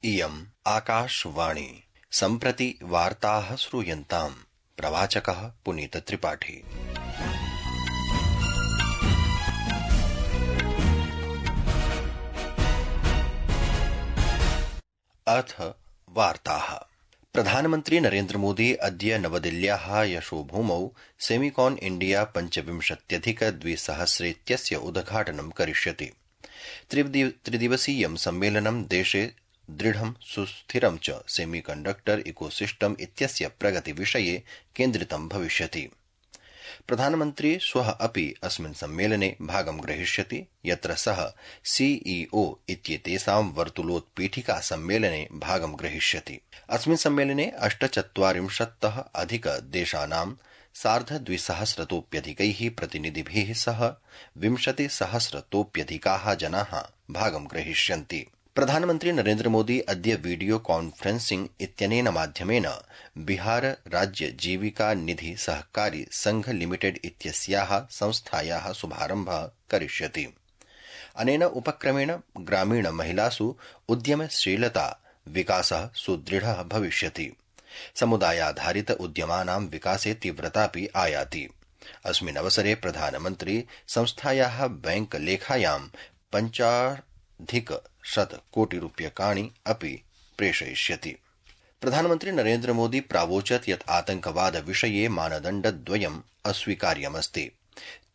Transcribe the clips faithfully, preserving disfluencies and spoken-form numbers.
इयम् आकाशवाणी सम्प्रति वार्ताः श्रूयन्ताम्। प्रवाचकः पुनीत त्रिपाठी। अथ वार्ताः। प्रधानमन्त्री नरेन्द्र मोदी अद्य नवदिल्ल्याः यशोभूमौ सेमिकॉन इंडिया पञ्चविंशत्यधिक द्विसहस्रेत्यस्य उद्घाटनं करिष्यति। त्रिदिवसीयं सम्मेलनं देशे दृढं सुस्थिरं च सेमीकण्डक्टर इकोसिस्टम इत्यस्य प्रगतिविषये केन्द्रितं भविष्यति। प्रधानमन्त्री श्वः अपि अस्मिन् सम्मेलने भागं ग्रहीष्यति, यत्र सः सीईओ इत्येतेषां वर्तुलोत्पीठिका सम्मेलने भागं ग्रहीष्यति। अस्मिन् सम्मेलने अष्टचत्वारिंशत्तः अधिक देशानां सार्धद्विसहस्रतोऽप्यधिकैः प्रतिनिधिभिः सह विंशतिसहस्रतोऽप्यधिकाः जनाः भागं ग्रहीष्यन्ति। प्रधानमन्त्री नरेन्द्र मोदी अद्य वीडियो कॉन्फ्रेंसिंग इत्यनेन माध्यमेन बिहार राज्य जीविका निधि सहकारी संघ लिमिटेड इत्यस्याः संस्थायाः शुभारम्भः करिष्यति। अनेन उपक्रमेण ग्रामीण महिलासु उद्यमशीलता विकासः सुदृढः भविष्यति। समुदायाधारित उद्यमानां विकासे तीव्रतापि आयाति। अस्मिन् अवसरे प्रधानमन्त्री संस्थायाः बैंक लेखायां पञ्चाधिक शत कोटि रूप्यकाणि अपि प्रेषयिष्यति। प्रधानमन्त्री नरेन्द्र मोदी प्रावोचत् यत् आतंकवाद विषये मानदण्डद्वयम् अस्वीकार्यमस्ति।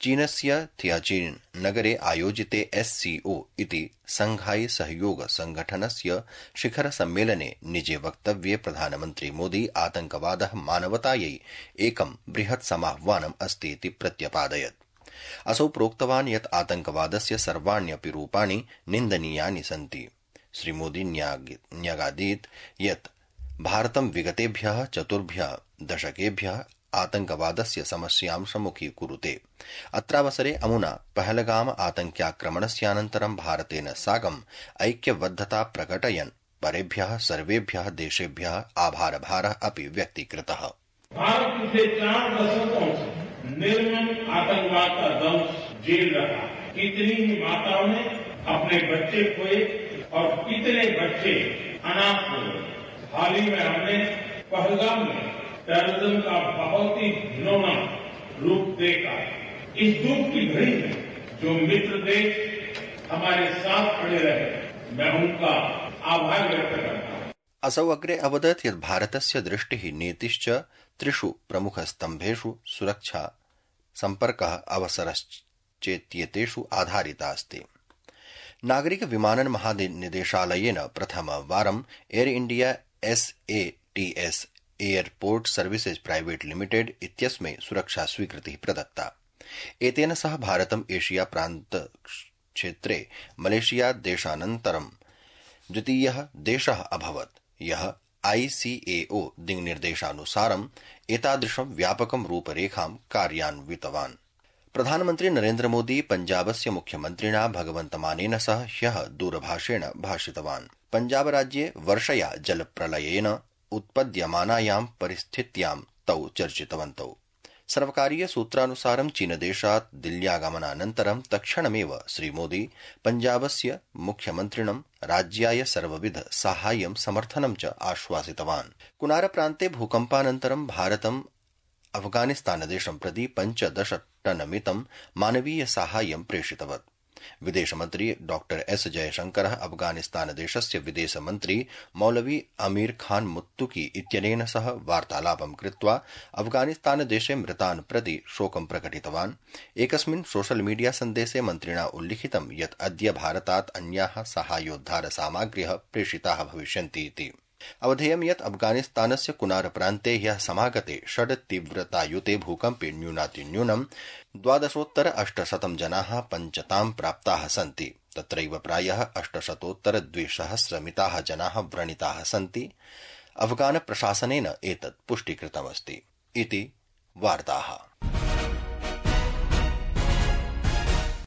चीनस्य थियाचिन नगरे आयोजिते एससीओ इति संघाई सहयोग संगठनस्य शिखर सम्मेलने निजे वक्तव्ये प्रधानमन्त्री मोदी आतंकवादः मानवतायै एकं बृहत् समाह्वानम् अस्ति इति प्रत्यपादयत्। असौ प्रोक्तवान् यत् आतंकवादस्य सर्वाण्यपि रूपाणि निन्दनीयानि सन्ति। श्रीमोदी न्यगादीत् यत् भारतं विगतेभ्यः चतुर्भ्यः दशकेभ्यः आतंकवादस्य समस्यां सम्मुखीकुरुते। अत्रावसरे अमुना पहलगाम आतंक्याक्रमणस्यानन्तरं भारतेन साकम् ऐक्यबद्धता प्रकटयन् परेभ्यः सर्वेभ्यः देशेभ्यः आभारभारः अपि व्यक्तीकृतः। भारत पिछले चार दशकों से निर्मम आतंकवाद का दंश झेल रहा। कितनी ही माताओं ने अपने बच्चे खोए और कितने बच्चे अनाथ हुए। हाल ही में हमने पहलगाम में टेररिज्म का बहुत ही घिनौना रूप देखा। इस दुख की घड़ी में जो मित्र देश हमारे साथ खड़े रहे, मैं उनका आभार व्यक्त करता हूं। असौ अग्रे अवदत् यत् भारतस्य दृष्टिः नीतिश्च त्रिषु प्रमुखस्तम्भेषु सुरक्षा, सम्पर्कः, अवसरश्चेत्येतेषु आधारिता अस्ति। नागरिक विमानन महानिदेशालयेन प्रथमवारं Air India SATS airport services private limited इत्यस्मै सुरक्षा स्वीकृतिः प्रदत्ता। एतेन सह भारतम् एशिया प्रान्त क्षेत्रे मलेशिया देशानन्तरं द्वितीयः देशः अभवत्, यः आईसीएओ दिङ्निर्देशानुसारम् एतादृशं व्यापकं रूपरेखां कार्यान्वितवान्। प्रधानमन्त्री नरेन्द्र मोदी पञ्जाबस्य मुख्यमन्त्रिणा भगवन्त मानेन सह ह्यः दूरभाषेण भाषितवान्। पञ्जाबराज्ये वर्षया जलप्रलयेन उत्पद्यमानायां परिस्थित्यां तौ चर्चितवन्तौ। सर्वकारीय सूत्रानुसारं चीनदेशात् दिल्ल्यागमनानन्तरं तत्क्षणमेव श्रीमोदी पञ्जाबस्य मुख्यमन्त्रिणं राज्याय सर्वविध साहाय्यं समर्थनं च आश्वासितवान्। कुनार प्रान्ते भूकम्पानन्तरं भारतम् अफगानिस्तानदेशं प्रति पञ्चदश टनमितं मानवीय साहाय्यं प्रेषितवत्। विदेशमन्त्री डॉक्टर एस जयशंकरः अफगानिस्तानदेशस्य विदेशमन्त्री मौलवी अमीर खान मुत्तुकी इत्यनेन सह वार्तालापं कृत्वा अफगानिस्तानदेशे मृतान् प्रति शोकं प्रकटितवान्। एकस्मिन् सोशल मीडिया सन्देशे मन्त्रिणा उल्लिखितं यत् अद्य भारतात् अन्याः साहाय्योद्धार सामग्र्यः प्रेषिताः भविष्यन्ति इति। अवधेयं यत् अफगानिस्तानस्य कुनार प्रान्ते ह्यः समागते षड् तीव्रतायुते भूकम्पे न्यूनातिन्यूनं द्वादशोत्तर अष्टशतं जनाः पञ्चतां प्राप्ताः सन्ति। तत्रैव प्रायः अष्टशतोत्तर द्विसहस्रमिताः जनाः व्रणिताः सन्ति। अफगान प्रशासनेन एतत् पुष्टीकृतमस्ति इति वार्ताः।